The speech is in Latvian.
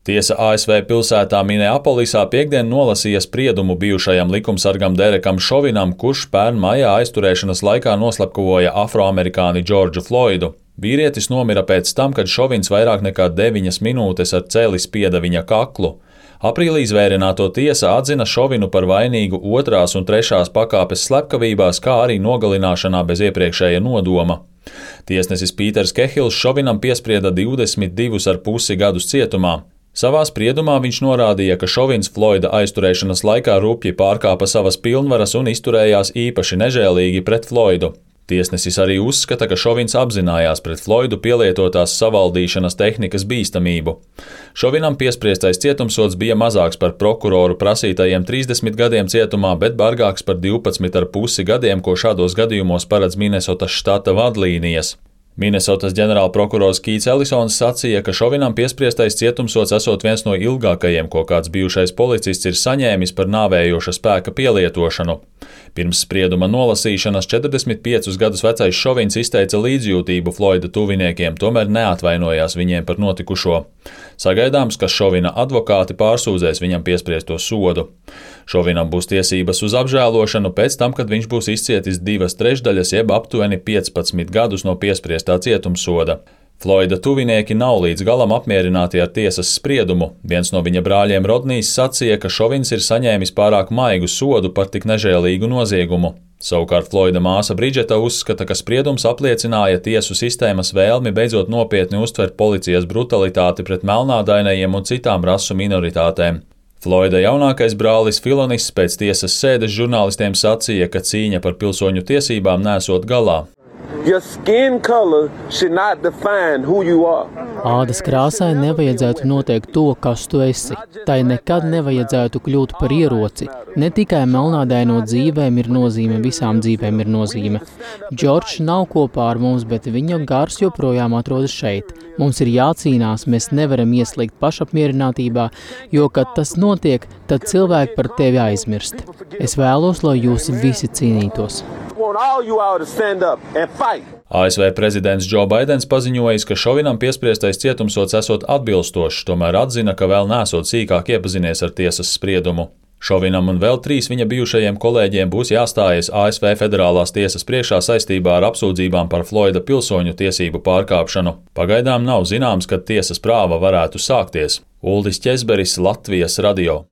Tiesa ASV pilsētā Mineapolisā piektdien nolasīja spriedumu bijušajam likumsargam Derekam Šovinam, kurš pērn maijā aizturēšanas laikā noslepkavoja afroamerikāni Džordžu Floidu. Vīrietis nomira pēc tam, kad Šovins vairāk nekā 9 minūtes ar celi spieda viņa kaklu. Aprīlī izvērināto tiesa atzina Šovinu par vainīgu 2. un 3. pakāpes slepkavībās, kā arī nogalināšanā bez iepriekšēja nodoma. Tiesnesis Pīters Kehils Šovinam piesprieda 22,5 gadus cietumā. Savā spriedumā viņš norādīja, ka Šovins Floida aizturēšanas laikā rupji pārkāpa savas pilnvaras un izturējās īpaši nežēlīgi pret Floidu. Tiesnesis arī uzskata, ka Šovins apzinājās pret Floidu pielietotās savaldīšanas tehnikas bīstamību. Šovinam piespriestais cietumsods bija mazāks par prokuroru prasītajiem 30 gadiem cietumā, bet bargāks par 12,5 gadiem, ko šādos gadījumos paredz Minesotas štata vadlīnijas. Minesotas ģenerālprokurors Kīts Ellisons sacīja, ka Šovinam piespriestais cietumsods esot viens no ilgākajiem, ko kāds bijušais policists ir saņēmis par nāvējoša spēka pielietošanu. Pirms sprieduma nolasīšanas 45 gadus vecais Šovins izteica līdzjūtību Floida tuviniekiem, tomēr neatvainojās viņiem par notikušo. Sagaidāms, ka Šovina advokāti pārsūdzēs viņam piespriesto sodu. Šovinam būs tiesības uz apžēlošanu pēc tam, kad viņš būs izcietis 2/3 jeb aptuveni 15 gadus no piespriestā cietumsoda. Floida tuvinieki nav līdz galam apmierināti ar tiesas spriedumu. Viens no viņa brāļiem Rodnijs sacīja, ka Šovins ir saņēmis pārāk maigu sodu par tik nežēlīgu noziegumu. Savukārt Floida māsa Bridžeta uzskata, ka spriedums apliecināja tiesu sistēmas vēlmi beidzot nopietni uztvert policijas brutalitāti pret melnādainajiem un citām rasu minoritātēm. Floida jaunākais brālis Filonis pēc tiesas sēdes žurnālistiem sacīja, ka cīņa par pilsoņu tiesībām nesot galā. Your skin color should not define who you are. Ādas krāsai nevajadzētu noteikt to, kas tu esi. Tai nekad nevajadzētu kļūt par ieroci. Ne tikai melnādaino dzīvēm ir nozīme, visām dzīvēm ir nozīme. Džordžs nav kopā ar mums, bet viņa gars joprojām atrodas šeit. Mums ir jācīnās, mēs nevaram ieslīgt pašapmierinātībā, jo, kad tas notiek, tad cilvēki par tevi aizmirst. Es vēlos, lai jūs visi cīnītos. ASV prezidents Džo Baidens paziņojis, ka Šovinam piespriestais cietumsods esot atbilstošs, tomēr atzina, ka vēl nesot sīkāk iepazinies ar tiesas spriedumu. Šovinam un vēl 3 viņa bijušajiem kolēģiem būs jāstājas ASV federālās tiesas priekšā saistībā ar apsūdzībām par Floida pilsoņu tiesību pārkāpšanu. Pagaidām nav zināms, kad tiesas prāva varētu sākties. Uldis Ķezberis, Latvijas radio.